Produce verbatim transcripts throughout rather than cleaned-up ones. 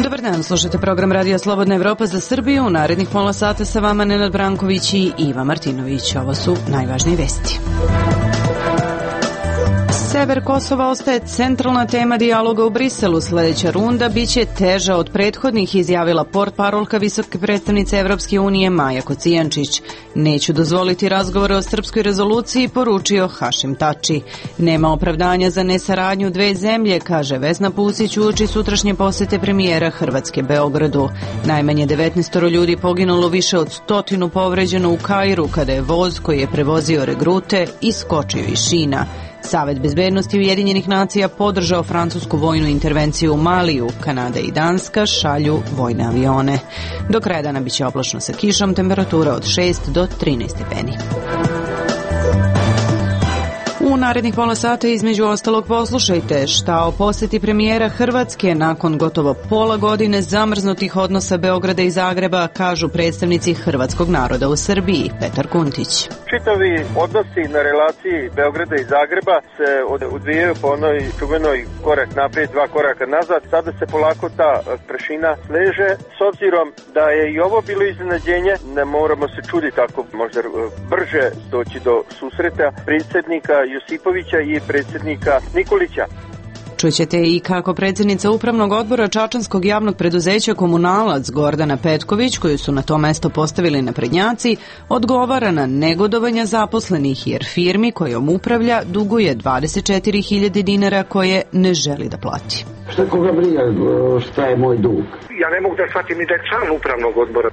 Dobar dan, slušate program Radija Slobodna Evropa za Srbiju. U narednih pola sata sa vama Nenad Branković i Iva Martinović. Ovo su najvažnije vesti. Sever Kosova ostaje centralna tema dijaloga u Briselu. Sljedeća runda biće teža od prethodnih, izjavila portparolka visoke predstavnice Evropske unije Maja Kocijančić. Neću dozvoliti razgovore o srpskoj rezoluciji, poručio Hašim Tači. Nema opravdanja za nesaradnju dve zemlje, kaže Vesna Pusić uoči sutrašnje posete premijera Hrvatske Beogradu. Najmanje devetnaest ljudi poginulo, više od stotinu povređeno u Kairu kada je voz koji je prevozio regrute iskočio iz šina. Savet bezbednosti Ujedinjenih nacija podržao francusku vojnu intervenciju u Maliju. Kanada i Danska šalju vojne avione. Do kraja dana biće oblačno sa kišom, temperatura od šest do trinaest stepeni. U narednih pola sata između ostalog poslušajte šta o poseti premijera Hrvatske nakon gotovo pola godine zamrznutih odnosa Beograda i Zagreba kažu predstavnici hrvatskog naroda u Srbiji. Petar Kuntić. Čitavi odnosi na relaciji Beograda i Zagreba se odvijaju po onoj čuvenoj korak naprijed, dva koraka nazad. Sada se polako ta prašina sleže. S obzirom da je i ovo bilo iznenađenje, ne moramo se čuditi ako možda brže doći do susreta predsjednika Josipovića i predsjednika Nikolića. Čućete i kako predsjednica Upravnog odbora Čačanskog javnog preduzeća Komunalac Gordana Petković, koju su na to mesto postavili naprednjaci, odgovara na negodovanja zaposlenih jer firmi kojom upravlja duguje dvadeset četiri hiljade dinara koje ne želi da plati. Šta koga briga šta je moj dug? Ja ne mogu da shvatim ni da je član Upravnog odbora.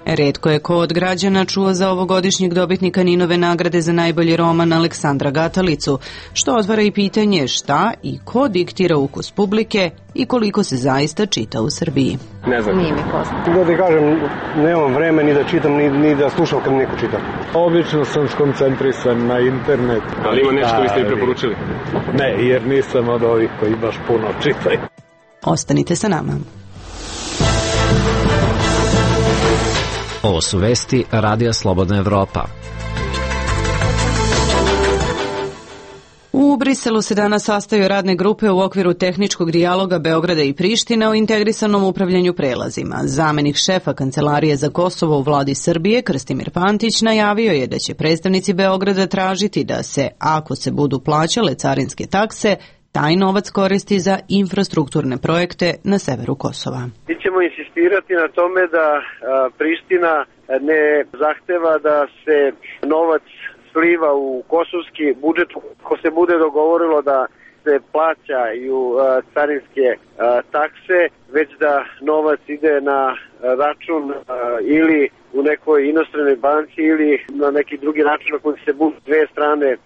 Retko je ko od građana čuo za ovogodišnjeg dobitnika Ninove nagrade za najbolji roman Aleksandra Gatalicu, što otvara i pitanje šta i ko diktira ukus publike i koliko se zaista čita u Srbiji. Ne znam. Nije mi poznato. Da ti kažem, nemam vreme ni da čitam, ni, ni da slušam kad neko čita. Obično sam skoncentrisan na internet. Ali ima nešto vi ste mi preporučili? Ne, jer nisam od ovih koji baš puno čitaju. Ostanite sa nama. Ovo su vesti Radija Slobodna Evropa. U Briselu se danas sastaju radne grupe u okviru tehničkog dijaloga Beograda i Prištine o integrisanom upravljanju prelazima. Zamenik šefa Kancelarije za Kosovo u vladi Srbije, Krstimir Pantić, najavio je da će predstavnici Beograda tražiti da se, ako se budu plaćale carinske takse, taj novac koristi za infrastrukturne projekte na severu Kosova. Mi ćemo insistirati na tome da a, Priština ne zahteva da se novac sliva u kosovski budžet, ako se bude dogovorilo da se plaćaju a, carinske a, takse, već da novac ide na račun a, ili u nekoj inostranoj banci ili na neki drugi način na koji se budu dve strane a,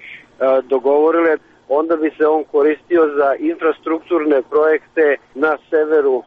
dogovorile, onda bi se on koristio za infrastrukturne projekte na severu.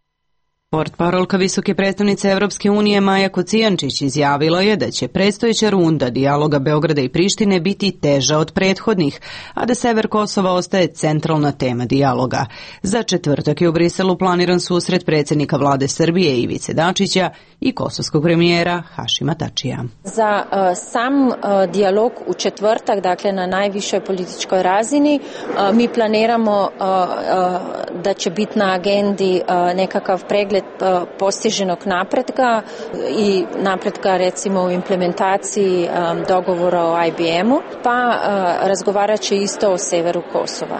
Portparolka visoke predstavnice Evropske unije Maja Kocijančić izjavila je da će predstojeća runda dijaloga Beograda i Prištine biti teža od prethodnih, a da sever Kosova ostaje centralna tema dijaloga. Za četvrtak je u Briselu planiran susret predsjednika vlade Srbije Ivice Dačića i kosovskog premijera Hašima Tačija. Za uh, sam uh, dijalog u četvrtak, dakle na najvišoj političkoj razini, uh, mi planiramo uh, uh, da će biti na agendi uh, nekakav pregled postiženog napretka i napretka recimo u implementaciji um, dogovora o I B M-u, pa uh, razgovarat će isto o severu Kosova.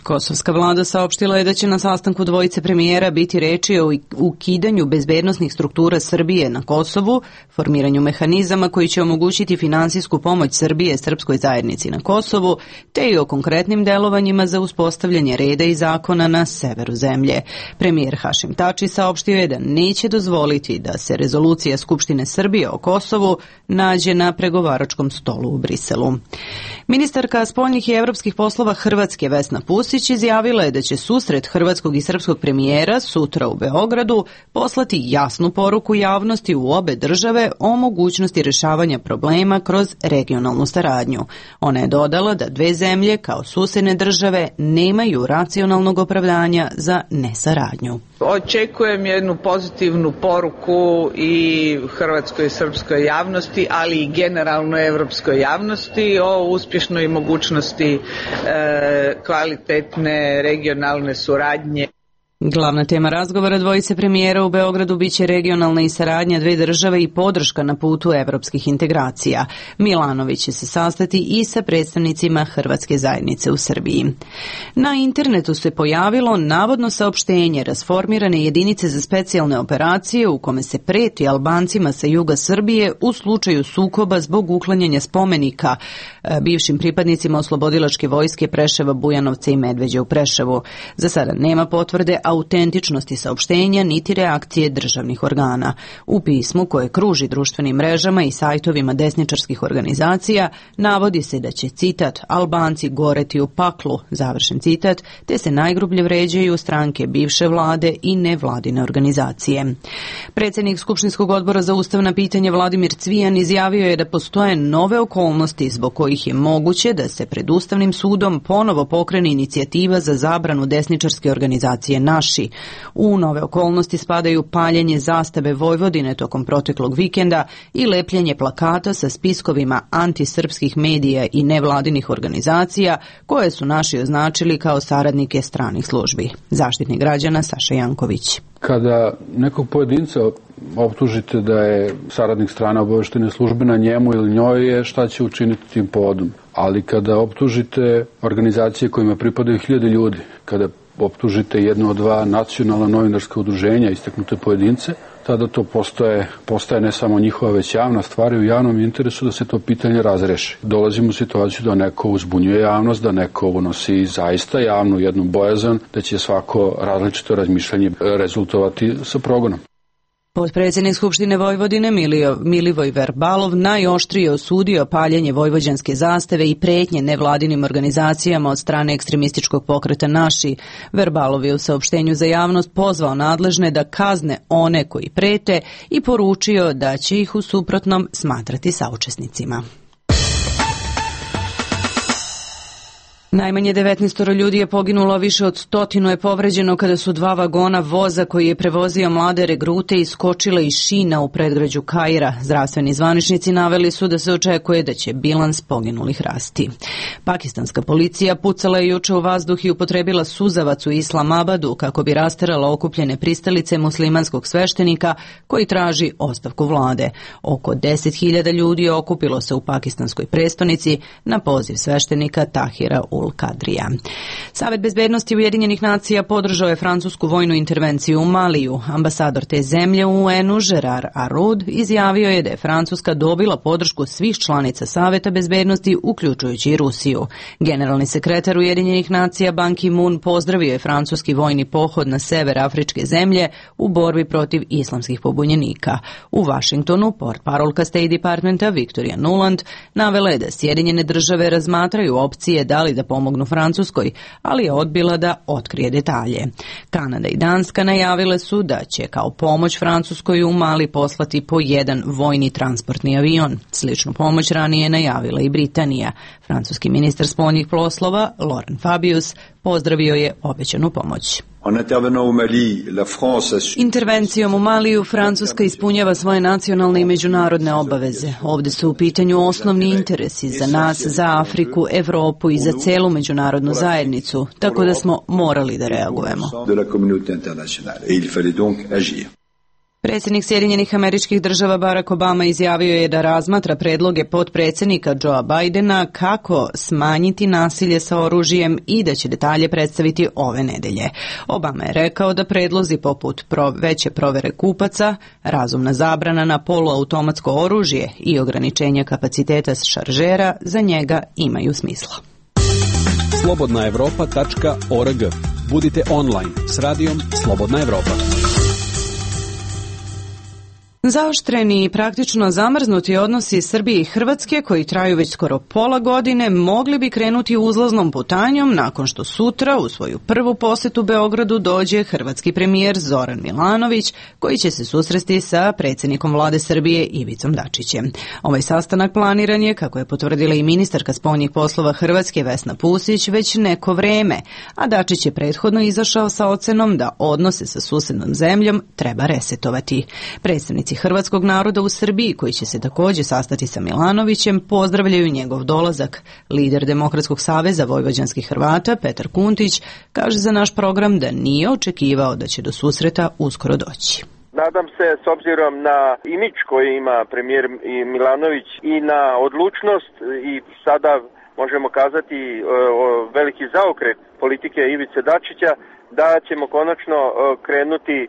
Kosovska vlada saopštila je da će na sastanku dvojice premijera biti reči o ukidanju bezbednosnih struktura Srbije na Kosovu, formiranju mehanizama koji će omogućiti finansijsku pomoć Srbije srpskoj zajednici na Kosovu, te i o konkretnim delovanjima za uspostavljanje reda i zakona na severu zemlje. Premijer Hašim Tači saopštio je da neće dozvoliti da se rezolucija Skupštine Srbije o Kosovu nađe na pregovaračkom stolu u Briselu. Ministarka spoljnih i evropskih poslova Hrvatske Vesna Pusić izjavila je da će susret hrvatskog i srpskog premijera sutra u Beogradu poslati jasnu poruku javnosti u obe države o mogućnosti rješavanja problema kroz regionalnu saradnju. Ona je dodala da dve zemlje kao susedne države nemaju racionalnog opravdanja za nesaradnju. Očekujem jednu pozitivnu poruku i hrvatskoj i srpskoj javnosti, ali i generalno evropskoj javnosti o uspješnoj mogućnosti e, kvalitetne regionalne suradnje. Glavna tema razgovora dvojice premijera u Beogradu biće regionalna i saradnja dve države i podrška na putu evropskih integracija. Milanović će se sastati i sa predstavnicima hrvatske zajednice u Srbiji. Na internetu se pojavilo navodno saopštenje rasformirane jedinice za specijalne operacije u kome se preti Albancima sa juga Srbije u slučaju sukoba zbog uklanjanja spomenika bivšim pripadnicima oslobodilačke vojske Preševa, Bujanovca i Medveđa u Preševu. Za sada nema potvrde autentičnosti saopštenja niti reakcije državnih organa. U pismu koje kruži društvenim mrežama i sajtovima desničarskih organizacija navodi se da će, citat, Albanci goreti u paklu, završen citat, te se najgrublje vređaju stranke bivše vlade i nevladine organizacije. Predsjednik Skupštinskog odbora za ustavna pitanja Vladimir Cvijan izjavio je da postoje nove okolnosti zbog kojih je moguće da se pred Ustavnim sudom ponovo pokrene inicijativa za zabranu desničarske organizacije Naši. U nove okolnosti spadaju paljenje zastave Vojvodine tokom proteklog vikenda i lepljenje plakata sa spiskovima antisrpskih medija i nevladinih organizacija koje su Naši označili kao saradnike stranih službi. Zaštitnik građana Saša Janković. Kada nekog pojedinca optužite da je saradnik strane obavještajne službe, na njemu ili njoj je šta će učiniti tim povodom. Ali kada optužite organizacije kojima pripadaju hiljade ljudi, kada optužite jedno od dva nacionalna novinarska udruženja, istaknute pojedince, tada to postaje, postaje ne samo njihova već javna stvar i u javnom interesu da se to pitanje razreši. Dolazimo u situaciju da neko uzbunjuje javnost, da neko unosi zaista javnu jednu bojazan, da će svako različito razmišljanje rezultovati sa progonom. Potpredsjednik Skupštine Vojvodine Milio, Milivoj Verbalov najoštrije osudio paljenje vojvođanske zastave i pretnje nevladinim organizacijama od strane ekstremističkog pokreta Naši. Verbalov je u saopštenju za javnost pozvao nadležne da kazne one koji prete i poručio da će ih u suprotnom smatrati saučesnicima. Najmanje devetnaest ljudi je poginulo, više od stotinu je povređeno kada su dva vagona voza koji je prevozio mlade regrute iskočile iz šina u predgrađu Kaira. Zdravstveni zvaničnici naveli su da se očekuje da će bilans poginulih rasti. Pakistanska policija pucala je juče u vazduh i upotrebila suzavac u Islamabadu kako bi rasterala okupljene pristalice muslimanskog sveštenika koji traži ostavku vlade. Oko deset hiljada ljudi je okupilo se u pakistanskoj prestonici na poziv sveštenika Tahira ul Kadrija. Savet bezbednosti Ujedinjenih nacija podržao je francusku vojnu intervenciju u Maliju. Ambasador te zemlje u U N-u Gerard Araud izjavio je da je Francuska dobila podršku svih članica Saveta bezbednosti, uključujući i Rusiju. Generalni sekretar Ujedinjenih nacija Ban Ki-moon pozdravio je francuski vojni pohod na sever afričke zemlje u borbi protiv islamskih pobunjenika. U Vašingtonu portparolka State Departmenta Victoria Nuland navela je da Sjedinjene države razmatraju opcije da li da pomognu Francuskoj, ali je odbila da otkrije detalje. Kanada i Danska najavile su da će kao pomoć Francuskoj u Mali poslati po jedan vojni transportni avion. Sličnu pomoć ranije najavila i Britanija. Francuski ministar spoljnih poslova Laurent Fabius pozdravio je obećanu pomoć. Intervencijom u Maliju Francuska ispunjava svoje nacionalne i međunarodne obaveze. Ovdje su u pitanju osnovni interesi za nas, za Afriku, Evropu i za celu međunarodnu zajednicu, tako da smo morali da reagujemo. Predsjednik Sjedinjenih Američkih Država Barack Obama izjavio je da razmatra predloge potpredsjednika Joea Bidena kako smanjiti nasilje sa oružjem i da će detalje predstaviti ove nedelje. Obama je rekao da predlozi poput veće provere kupaca, razumna zabrana na poluautomatsko oružje i ograničenja kapaciteta šaržera za njega imaju smisla. slobodna evropa tačka org. Budite online s radijom Slobodna Evropa. Zaoštreni i praktično zamrznuti odnosi Srbije i Hrvatske, koji traju već skoro pola godine, mogli bi krenuti uzlaznom putanjom nakon što sutra u svoju prvu posetu Beogradu dođe hrvatski premijer Zoran Milanović, koji će se susresti sa predsjednikom vlade Srbije Ivicom Dačićem. Ovaj sastanak planiran je, kako je potvrdila i ministarka spoljnih poslova Hrvatske Vesna Pusić, već neko vreme, a Dačić je prethodno izašao sa ocenom da odnose sa susednom zemljom treba resetovati. Predstavnici hrvatskog naroda u Srbiji, koji će se također sastati sa Milanovićem, pozdravljaju njegov dolazak. Lider Demokratskog saveza vojvođanskih Hrvata Petar Kuntić kaže za naš program da nije očekivao da će do susreta uskoro doći. Nadam se, s obzirom na imidž koji ima premijer Milanović i na odlučnost i sada možemo kazati veliki zaokret politike Ivice Dačića, da ćemo konačno krenuti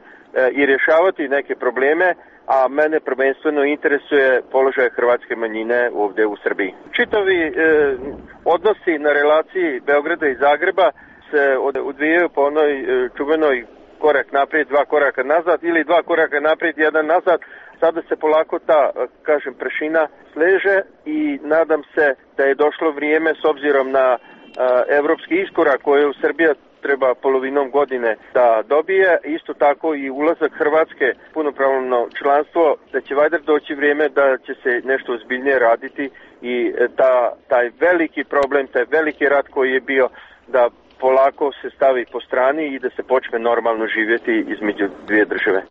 i rješavati neke probleme, a mene prvenstveno interesuje položaj hrvatske manjine ovdje u Srbiji. Čitavi e, odnosi na relaciji Beograda i Zagreba se odvijaju po onoj e, čuvenoj korak naprijed, dva koraka nazad ili dva koraka naprijed, jedan nazad. Sada se polako ta, kažem, prašina sleže i nadam se da je došlo vrijeme, s obzirom na a, evropski iskorak koji u Srbija treba polovinom godine da dobije, isto tako i ulazak Hrvatske punopravno članstvo, da će valjda doći vrijeme da će se nešto ozbiljnije raditi i ta, taj veliki problem, taj veliki rat koji je bio, da polako se stavi po strani i da se počne normalno živjeti između dvije države.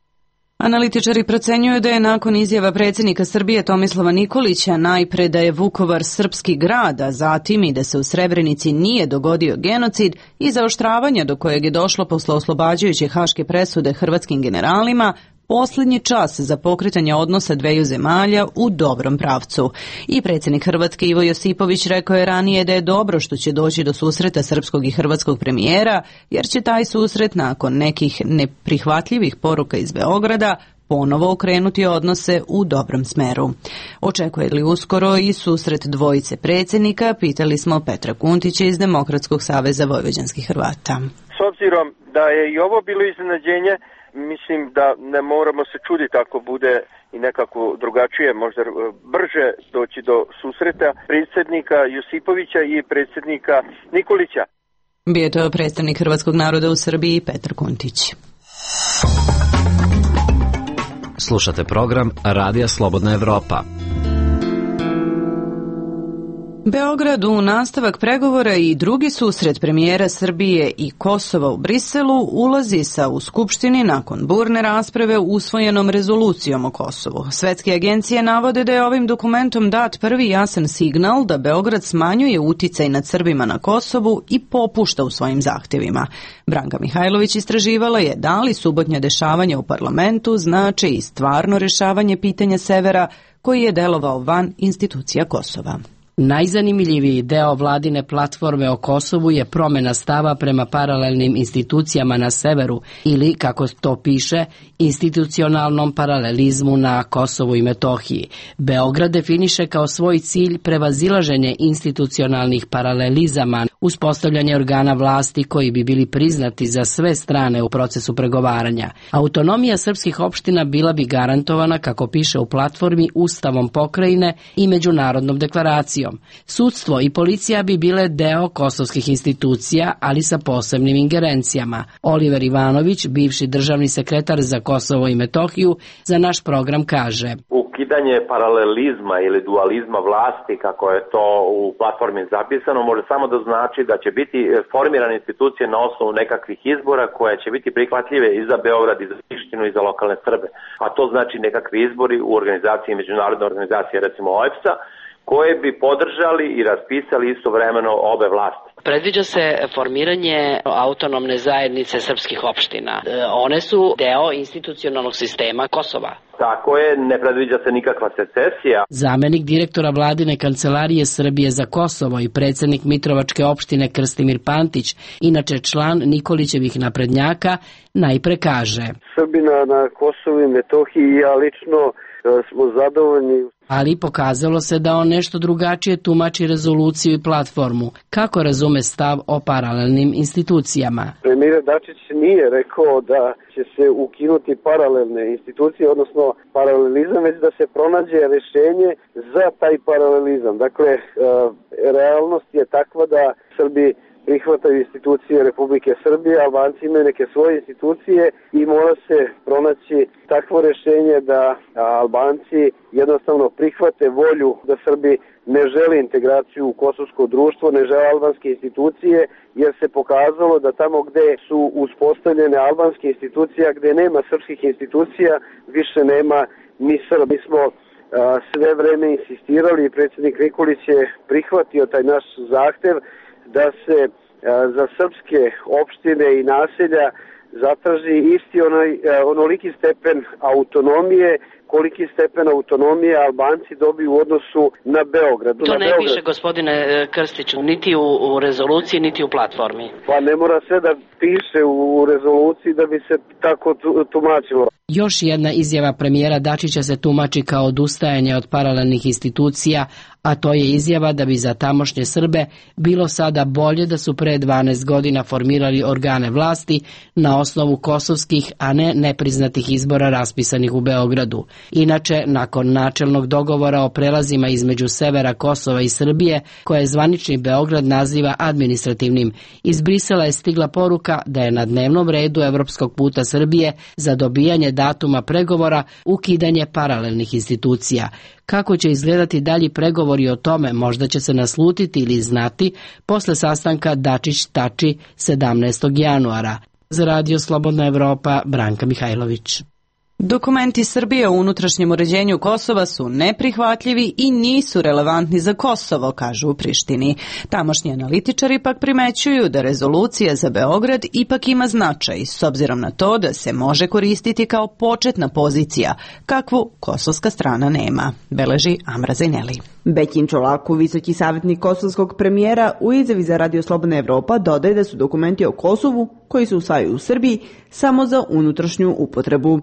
Analitičari procenjuju da je nakon izjava predsjednika Srbije Tomislava Nikolića najpre da je Vukovar srpski grad, a zatim i da se u Srebrenici nije dogodio genocid i zaoštravanja do kojeg je došlo posle oslobađajuće haške presude hrvatskim generalima, posljednji čas za pokretanje odnosa dveju zemalja u dobrom pravcu. I predsjednik Hrvatske Ivo Josipović rekao je ranije da je dobro što će doći do susreta srpskog i hrvatskog premijera, jer će taj susret nakon nekih neprihvatljivih poruka iz Beograda ponovo okrenuti odnose u dobrom smeru. Očekuje li uskoro i susret dvojice predsjednika, pitali smo Petra Kuntića iz Demokratskog saveza vojvođanskih Hrvata. S obzirom da je i ovo bilo iznenađenje, mislim da ne moramo se čuditi ako bude i nekako drugačije, možda brže doći do susreta predsjednika Josipovića i predsjednika Nikolića. Bio je to predstavnik hrvatskog naroda u Srbiji Petar Kuntić. Slušate program Radija Slobodna Evropa. Beograd u nastavak pregovora i drugi susret premijera Srbije i Kosova u Briselu ulazi sa u Skupštini nakon burne rasprave usvojenom rezolucijom o Kosovu. Svetske agencije navode da je ovim dokumentom dat prvi jasan signal da Beograd smanjuje uticaj nad Srbima na Kosovu i popušta u svojim zahtjevima. Branka Mihajlović istraživala je da li subotnja dešavanja u parlamentu znače i stvarno rješavanje pitanja severa koji je delovao van institucija Kosova. Najzanimljiviji deo vladine platforme o Kosovu je promjena stava prema paralelnim institucijama na severu ili, kako to piše, institucionalnom paralelizmu na Kosovu i Metohiji. Beograd definiše kao svoj cilj prevazilaženje institucionalnih paralelizama, uspostavljanje organa vlasti koji bi bili priznati za sve strane u procesu pregovaranja. Autonomija srpskih opština bila bi garantovana, kako piše u platformi, Ustavom pokrajine i međunarodnom deklaracijom. Sudstvo i policija bi bile deo kosovskih institucija, ali sa posebnim ingerencijama. Oliver Ivanović, bivši državni sekretar za Kosovo i Metohiju, za naš program kaže: Ukidanje paralelizma ili dualizma vlasti, kako je to u platformi zapisano, može samo da znači da će biti formirane institucije na osnovu nekakvih izbora koje će biti prihvatljive i za Beograd, i za Prištinu, i za lokalne Srbe. A to znači nekakvi izbori u organizaciji, međunarodne organizacije, recimo O E B S A, koje bi podržali i raspisali istovremeno obe vlasti. Predviđa se formiranje autonomne zajednice srpskih opština. One su deo institucionalnog sistema Kosova. Tako je, ne predviđa se nikakva secesija. Zamenik direktora vladine kancelarije Srbije za Kosovo i predsjednik Mitrovačke opštine Krstimir Pantić, inače član Nikolićevih naprednjaka, najpre kaže: Srbina na Kosovu i Metohiji, ja lično smo zadovoljni. Ali pokazalo se da on nešto drugačije tumači rezoluciju i platformu. Kako razume stav o paralelnim institucijama? Premijer Dačić nije rekao da će se ukinuti paralelne institucije, odnosno paralelizam, već da se pronađe rešenje za taj paralelizam. Dakle, realnost je takva da Srbi prihvataju institucije Republike Srbije, Albanci imaju neke svoje institucije i mora se pronaći takvo rešenje da Albanci jednostavno prihvate volju da Srbi ne žele integraciju u kosovsko društvo, ne žele albanske institucije, jer se pokazalo da tamo gde su uspostavljene albanske institucije, gde nema srpskih institucija, više nema ni Srba. Mi smo sve vreme insistirali i predsjednik Nikolić je prihvatio taj naš zahtev da se za srpske opštine i naselja zatraži isti onaj, onoliki stepen autonomije, koliki stepen autonomije Albanci dobiju u odnosu na Beograd. To na ne Beograd. piše, gospodine Krstiću, niti u, u rezoluciji, niti u platformi. Pa ne mora sve da piše u rezoluciji da bi se tako tumačilo. Još jedna izjava premijera Dačića se tumači kao odustajanje od paralelnih institucija, a to je izjava da bi za tamošnje Srbe bilo sada bolje da su pre dvanaest godina formirali organe vlasti na osnovu kosovskih, a ne nepriznatih izbora raspisanih u Beogradu. Inače, nakon načelnog dogovora o prelazima između severa Kosova i Srbije, koje zvanični Beograd naziva administrativnim, iz Brisela je stigla poruka da je na dnevnom redu evropskog puta Srbije za dobijanje datuma pregovora ukidanje paralelnih institucija. Kako će izgledati dalji pregovori o tome, možda će se naslutiti ili znati posle sastanka Dačić-Tači sedamnaestog januara. Za Radio Slobodna Evropa, Branka Mihajlović. Dokumenti Srbije o unutrašnjem uređenju Kosova su neprihvatljivi i nisu relevantni za Kosovo, kažu u Prištini. Tamošnji analitičari pak primećuju da rezolucija za Beograd ipak ima značaj, s obzirom na to da se može koristiti kao početna pozicija, kakvu kosovska strana nema, beleži Amra Zajneli. Bećin Čolaku, visoki savjetnik kosovskog premijera, u izjavi za Radio Slobodna Evropa dodaje da su dokumenti o Kosovu, koji se usvajaju u Srbiji, samo za unutrašnju upotrebu.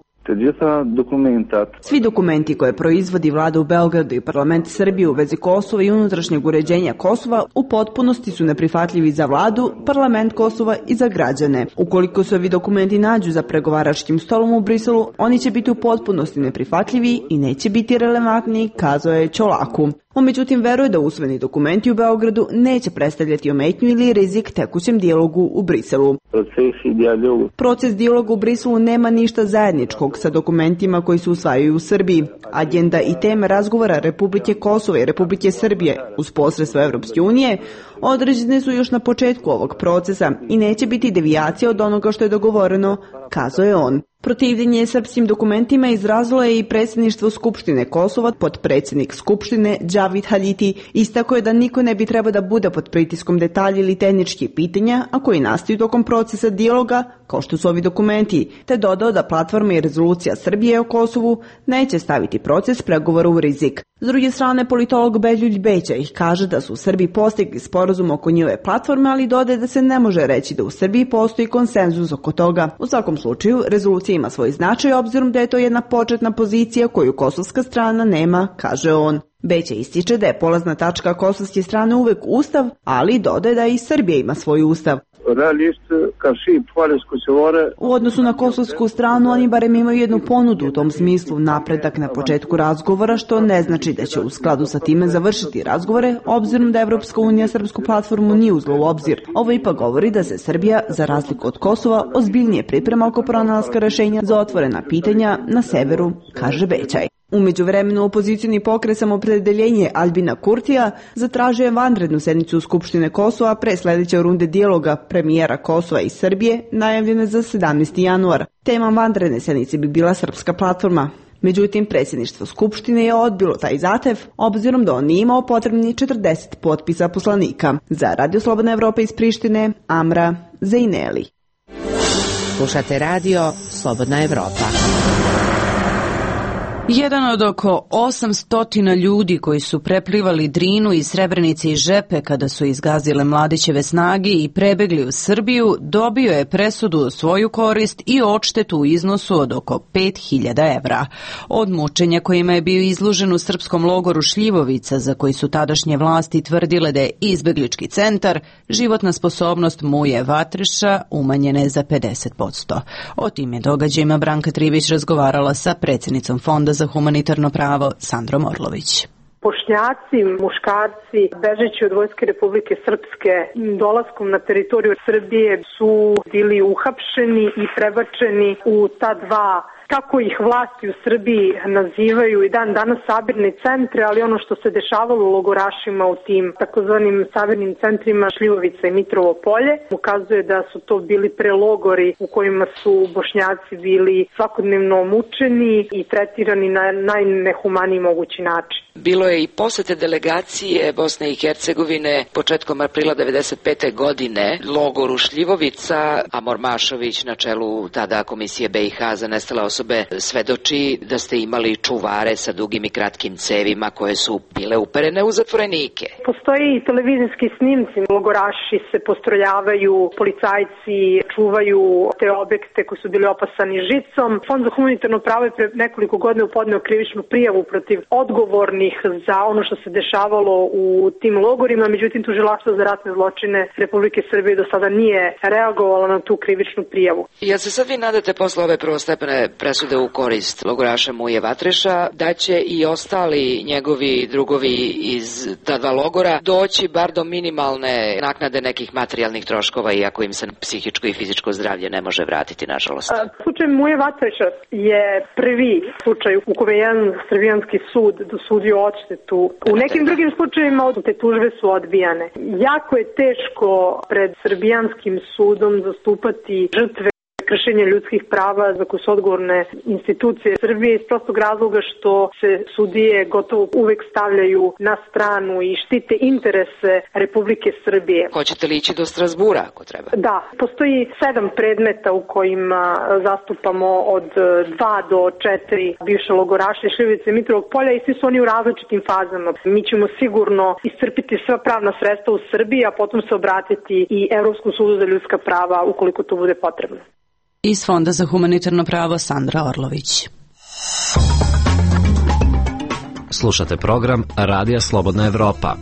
Svi dokumenti koje proizvodi vlada u Beogradu i parlament Srbije u vezi Kosova i unutrašnjeg uređenja Kosova u potpunosti su neprihvatljivi za vladu, parlament Kosova i za građane. Ukoliko se ovi dokumenti nađu za pregovaračkim stolom u Briselu, oni će biti u potpunosti neprihvatljivi i neće biti relevantni, kazao je Čolaku. On međutim veruje da usvojeni dokumenti u Beogradu neće predstavljati ometnju ili rizik tekućem dijalogu u Briselu. Proces dijaloga u Briselu nema ništa zajedničkog sa dokumentima koji se usvajaju u Srbiji. Agenda i teme razgovora Republike Kosova i Republike Srbije uz posredstvo Evropske unije određene su još na početku ovog procesa i neće biti devijacija od onoga što je dogovoreno, kazao je on. Protivljenje srpskim dokumentima izrazilo je i predsjedništvo Skupštine Kosova. Potpredsjednik Skupštine Džavid Haljiti istakao je da niko ne bi trebao da bude pod pritiskom detalja ili tehničkih pitanja, a koji nastaju tokom procesa dijaloga, kao što su ovi dokumenti, te dodao da platforma i rezolucija Srbije o Kosovu neće staviti proces pregovora u rizik. S druge strane, politolog Beljulj Bećaj kaže da su u Srbiji postigli sporazum oko njihove platforme, ali dodaje da se ne može reći da u Srbiji postoji konsenzus oko toga. U svakom slučaju, rezolucija ima svoj značaj obzirom da je to jedna početna pozicija koju kosovska strana nema, kaže on. Bećaj ističe da je polazna tačka kosovske strane uvek ustav, ali dodaje da i Srbija ima svoj ustav. U odnosu na kosovsku stranu, oni barem imaju jednu ponudu u tom smislu, napredak na početku razgovora, što ne znači da će u skladu sa time završiti razgovore, obzirom da Evropska unija srpsku platformu nije uzela u obzir. Ovo ipak govori da se Srbija, za razliku od Kosova, ozbiljnije priprema oko pronalaska rešenja za otvorena pitanja na severu, kaže Bećaj. U međuvremenu opozicioni pokret Samopredeljenje Albina Kurtija zatražio je vanrednu sednicu Skupštine Kosova pre sledeće runde dijaloga premijera Kosova i Srbije najavljene za sedamnaesti januar. Tema vanredne sednice bi bila srpska platforma. Međutim, predsjedništvo Skupštine je odbilo taj zahtev, obzirom da on nije imao potrebni četrdeset potpisa poslanika. Za Radio Slobodna Evropa iz Prištine, Amra Zajneli. Slušate Radio Slobodna Evropa. Jedan od oko osamsto ljudi koji su preplivali Drinu iz Srebrenice i Žepe kada su izgazile Mladićeve snage i prebegli u Srbiju, dobio je presudu u svoju korist i odštetu u iznosu od oko pet hiljada evra. Od mučenja kojima je bio izložen u srpskom logoru Šljivovica, za koji su tadašnje vlasti tvrdile da je izbeglički centar, životna sposobnost Muje Vatreša umanjena je za pedeset posto. O tim je događajima Branka Trivić razgovarala sa predsjednicom Fonda za humanitarno pravo Sandrom Orlović. Bošnjaci, muškarci, bežeći od Vojske Republike Srpske, dolaskom na teritoriju Srbije su bili uhapšeni i prebačeni u ta dva, kako ih vlasti u Srbiji nazivaju i dan danas sabirne centre, ali ono što se dešavalo u logorašima u tim takozvanim sabirnim centrima Šljivovica i Mitrovo Polje ukazuje da su to bili prelogori u kojima su Bošnjaci bili svakodnevno mučeni i tretirani na najnehumaniji mogući način. Bilo je i posete delegacije Bosne i Hercegovine početkom aprila devedeset pete godine logoru Šljivovica, a Mormašović na čelu tada Komisije be i ha za nestale osobe svedoči da ste imali čuvare sa dugim i kratkim cevima koje su bile uperene u zatvorenike. Postoji i televizijski snimci. Logoraši se postrojavaju, policajci čuvaju te objekte koji su bili opasani žicom. Fond za humanitarno pravo je pre nekoliko godina podneo krivičnu prijavu protiv odgovornih za ono što se dešavalo u tim logorima, međutim tužilaštvo za ratne zločine Republike Srbije do sada nije reagovalo na tu krivičnu prijavu. Jel se sad vi nadate posle ove prvostepene presude u korist logoraša Muje Vatreša da će i ostali njegovi drugovi iz ta dva logora doći bar do minimalne naknade nekih materijalnih troškova, iako im se psihičko i fizičko zdravlje ne može vratiti, nažalost? Slučaj Muje Vatreša je prvi slučaj u kome jedan srbijanski sud dosudio odštetu. U nekim drugim slučajevima te tužbe su odbijane. Jako je teško pred srbijanskim sudom zastupati žrtve kršenja ljudskih prava za koje su odgovorne institucije Srbije iz prostog razloga što se sudije gotovo uvek stavljaju na stranu i štite interese Republike Srbije. Hoćete li ići do Strasbura ako treba? Da, postoji sedam predmeta u kojima zastupamo od dva do četiri bivše logoraše Šljivovice i Mitrovog Polja i svi su oni u različitim fazama. Mi ćemo sigurno iscrpiti sva pravna sredstva u Srbiji, a potom se obratiti i Evropskom sudu za ljudska prava ukoliko to bude potrebno. Iz Fonda za humanitarno pravo Sandra Orlović. Slušate program Radija Slobodna Evropa.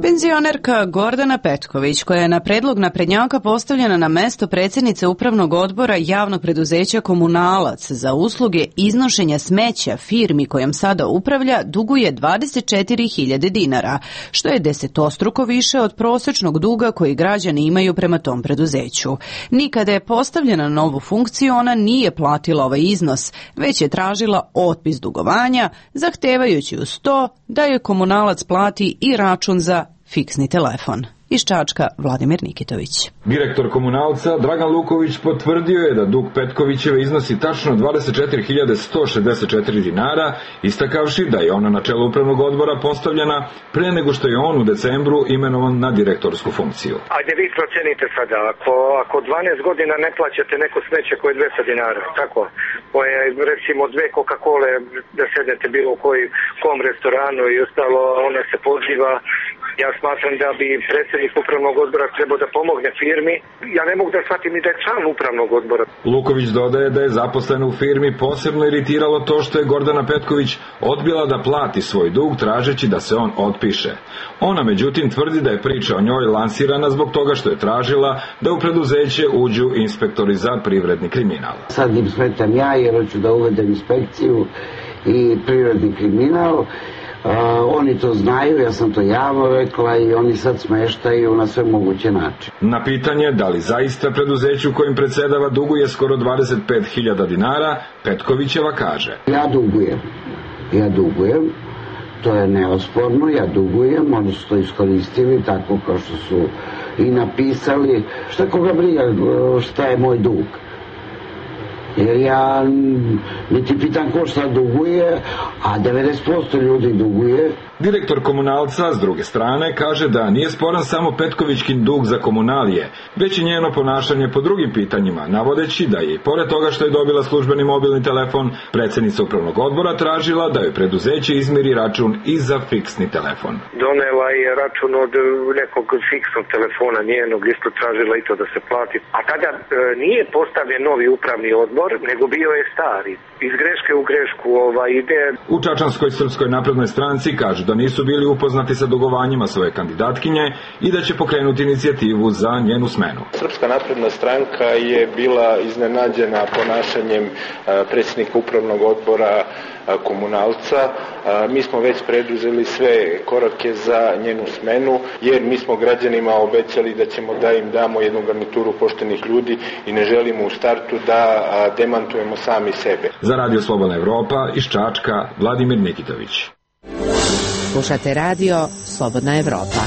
Penzionerka Gordana Petković, koja je na predlog naprednjaka postavljena na mesto predsjednice upravnog odbora javnog preduzeća Komunalac za usluge iznošenja smeća firmi kojom sada upravlja, duguje dvadeset četiri hiljade dinara, što je desetostruko više od prosječnog duga koji građani imaju prema tom preduzeću. Nikada je postavljena na novu funkciju, ona nije platila ovaj iznos, već je tražila otpis dugovanja, zahtevajući uz to da je Komunalac plati i račun za fiksni telefon. Iz Čačka Vladimir Nikitović. Direktor Komunalca Dragan Luković potvrdio je da dug Petkovićeve iznosi tačno dvadeset četiri hiljade sto šezdeset četiri dinara, istakavši da je ona na čelu upravnog odbora postavljena pre nego što je on u decembru imenovan na direktorsku funkciju. Ajde vi procenite sada, ako, ako dvanaest godina ne plaćate neko smeće koje je dvesta dinara, tako, koje recimo dve Coca-Cola da sednete bilo u koji, kom restoranu i ostalo, ona se poziva. Ja smatram da bi predsjednik upravnog odbora trebao da pomogne firmi. Ja ne mogu da shvatim ni da je član upravnog odbora. Luković dodaje da je zaposlen u firmi posebno iritiralo to što je Gordana Petković odbila da plati svoj dug tražeći da se on otpiše. Ona međutim tvrdi da je priča o njoj lansirana zbog toga što je tražila da u preduzeće uđu inspektori za privredni kriminal. Sad im smetam ja jer hoću da uvedem inspekciju i privredni kriminal. Uh, oni to znaju, ja sam to javno rekla i oni sad smeštaju na sve moguće načine. Na pitanje da li zaista preduzeću kojim predsedava duguje skoro dvadeset pet hiljada dinara, Petkovićeva kaže: Ja dugujem, ja dugujem, to je neosporno, ja dugujem, oni su to iskoristili tako kao što su i napisali. Šta koga briga šta je moj dug? jer ja niti pitam ko šta duguje, a devedeset posto ljudi duguje. Direktor Komunalca, s druge strane, kaže da nije sporan samo Petkovićkin dug za komunalije, već i njeno ponašanje po drugim pitanjima, navodeći da je i pored toga što je dobila službeni mobilni telefon, predsjednica upravnog odbora tražila da joj preduzeće izmiri račun i za fiksni telefon. Donela je račun od nekog fiksnog telefona njenog, isto tražila i to da se plati. A tada e, nije postavljen novi upravni odbor, nego bio je stari. Iz greške u grešku ovaj, ide. U Čačanskoj srpskoj naprednoj stranci kažu da nisu bili upoznati sa dugovanjima svoje kandidatkinje i da će pokrenuti inicijativu za njenu smenu. Srpska napredna stranka je bila iznenađena ponašanjem predsjednika upravnog odbora Komunalca. Mi smo već preduzeli sve korake za njenu smenu, jer mi smo građanima obećali da ćemo da im damo jednu garnituru poštenih ljudi i ne želimo u startu da demantujemo sami sebe. Za Radio Slobodna Evropa iz Čačka, Vladimir Nikitović. Slušate radio Slobodna Evropa.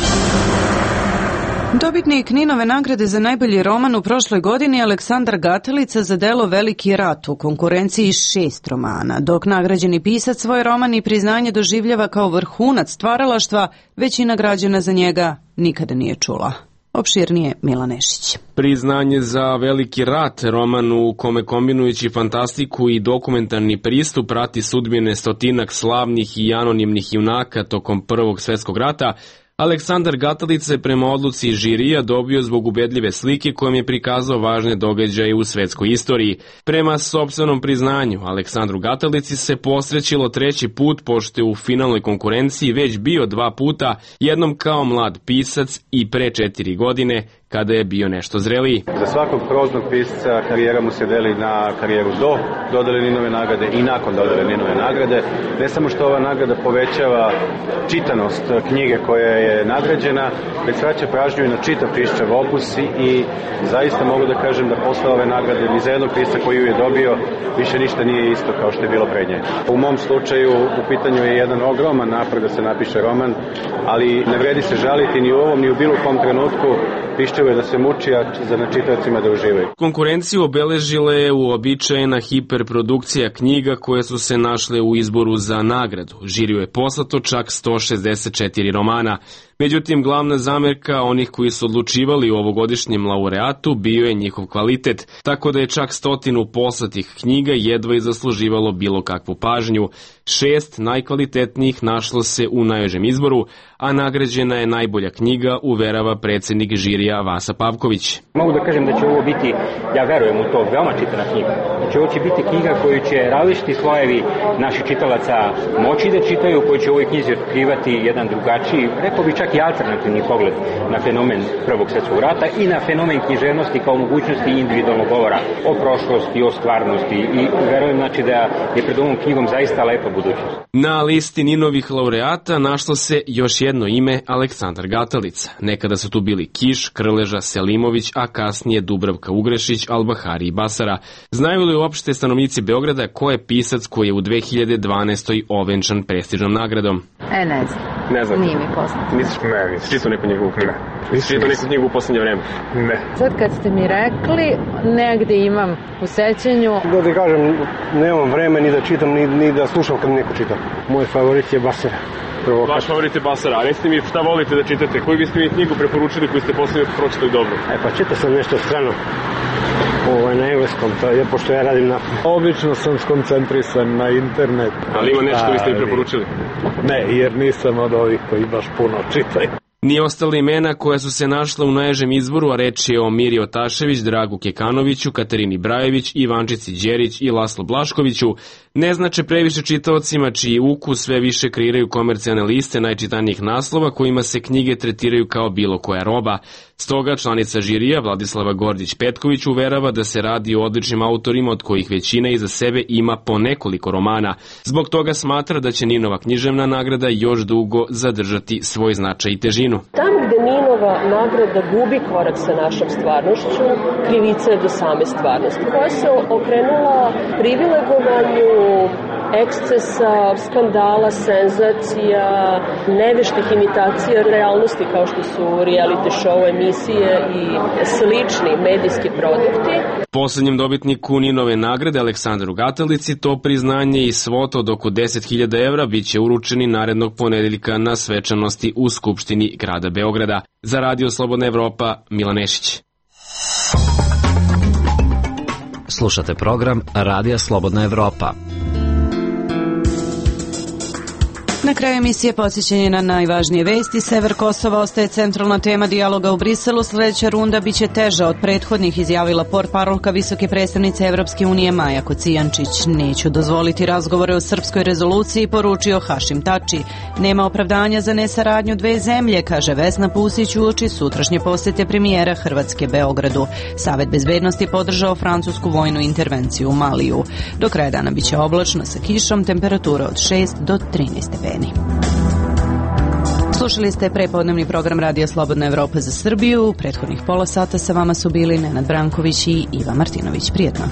Dobitnik Ninove nagrade za najbolji roman u prošloj godini Aleksandar Gatelica za delo Veliki rat u konkurenciji šest romana, dok nagrađeni pisac svoj roman i priznanje doživljava kao vrhunac stvaralaštva, većina građana za njega nikada nije čula. Opširnije Mila Nešić. Priznanje za Veliki rat, roman u kome kombinujući fantastiku i dokumentarni pristup prati sudbine stotinak slavnih i anonimnih junaka tokom Prvog svjetskog rata, Aleksandar Gatelica je prema odluci žirija dobio zbog ubedljive slike kojom je prikazao važne događaje u svetskoj istoriji. Prema sopstvenom priznanju, Aleksandru Gatelici se posrećilo treći put, pošto je u finalnoj konkurenciji već bio dva puta, jednom kao mlad pisac i pre četiri godine, kada je bio nešto zreliji. Za svakog proznog pisca karijera mu se deli na karijeru do dodele Ninove nagrade i nakon dodele Ninove nagrade. Ne samo što ova nagrada povećava čitanost knjige koja je nagrađena, već vraća pažnju i na čitav pisaćev opus i zaista mogu da kažem da posle ove nagrade ni za jednog pisca koji ju je dobio više ništa nije isto kao što je bilo pred nje. U mom slučaju u pitanju je jedan ogroman napor da se napiše roman, ali ne vredi se žaliti ni u ovom ni u bilo kom trenutku. Pišćevo je da se muči, a za čitaocima da uživaju. Konkurenciju obeležila je uobičajena hiperprodukcija knjiga koje su se našle u izboru za nagradu. Žiriju je poslato čak sto šezdeset četiri romana. Međutim, glavna zamerka onih koji su odlučivali u ovogodišnjem laureatu bio je njihov kvalitet, tako da je čak stotinu poslatih knjiga jedva i zasluživalo bilo kakvu pažnju. Šest najkvalitetnijih našlo se u najožem izboru, a nagrađena je najbolja knjiga, uverava predsjednik žirija Vasa Pavković. Mogu da kažem da će ovo biti, ja verujem u to, veoma čitana knjiga. Znači ovo će biti knjiga koju će različiti slojevi naših čitalaca moći da čitaju, koji će u ovoj knjizi otkrivati jedan drugačiji, rekao bi čak i alternativni pogled na fenomen Prvog svjetskog rata i na fenomen književnosti kao mogućnosti individualnog govora o prošlosti, o stvarnosti i verujem znači da je pred ovom knjigom zaista lepa budućnost. Na listi Ninovih laureata našlo se još jedno ime, Aleksandar Gatelica. Nekada su tu bili Kiš, Krleža, Selimović, a kasnije Dubravka Ugrešić, Albahari i Basara. Znaju li uopšte stanovnici Beograda ko je pisac koji je u dve hiljade dvanaestoj ovenčan prestižnom nagradom? E, ne znam. Ne znam. Nije mi poznato. Misliš, ne, nisi čitao neku njegovu knjigu? Nisi čitao neku knjigu u posljednje vreme? Ne. Sad kad ste mi rekli, negde imam u sećanju. Da ti kažem, nemam vreme ni da čitam, ni, ni da slušam kad neko čita. Moj favorit je Basara. Provokat. Vaš favorit je Basara, a recite mi šta volite da čitate? Koju biste mi knjigu preporučili koju ste posljednje pročitali dobro? E pa čitao sam nešto strano. Ovo je na engleskom, to je pošto ja radim na... Obično sam skoncentrisan na internet. Ali ima nešto vi ste mi preporučili? Ne, jer nisam od ovih koji baš puno čitaju. Ni ostale imena koja su se našla u naježem izboru, a reč je o Miri Otašević, Dragu Kekanoviću, Katarini Brajević, Ivančici Đerić i Laslo Blaškoviću, ne znače previše čitaocima čiji ukus sve više kreiraju komercijalne liste najčitanijih naslova kojima se knjige tretiraju kao bilo koja roba. Stoga članica žirija Vladislava Gordić-Petković uverava da se radi o odličnim autorima od kojih većina iza sebe ima po nekoliko romana. Zbog toga smatra da će Ninova književna nagrada još dugo zadržati svoj značaj i težinu. Tam gde Ninova nagrada gubi korak sa našom stvarnošću, krivica je do same stvarnosti, koja se okrenula privilegovanju ekscesa, skandala, senzacija, neveštih imitacija realnosti kao što su reality show, emisije i slični medijski produkti. Poslednjem dobitniku Ninove nagrade Aleksandru Gatalici to priznanje i svota od oko deset hiljada evra biće uručeni narednog ponedeljka na svečanosti u Skupštini grada Beograda. Za Radio Slobodna Evropa, Milan Nešić. Slušate program Radija Slobodna Evropa. Na kraju emisije podsjećanje na najvažnije vesti. Sever Kosova ostaje centralna tema dijaloga u Briselu. Sledeća runda biće teža od prethodnih, izjavila portparolka visoke predstavnice Evropske unije Maja Kocijančić. Neću dozvoliti razgovore o srpskoj rezoluciji, poručio Hašim Tači. Nema opravdanja za nesaradnju dve zemlje, kaže Vesna Pusić uoči sutrašnje posete premijera Hrvatske Beogradu. Savet bezbednosti podržao francusku vojnu intervenciju u Maliju. Do kraja dana biće oblačno sa kišom, temperatura od šest do trinaest stepeni. Slušali ste prepodnevni program Radija Slobodna Evropa za Srbiju. U prethodnih pola sata sa vama su bili Nenad Branković i Iva Martinović. Prijetno.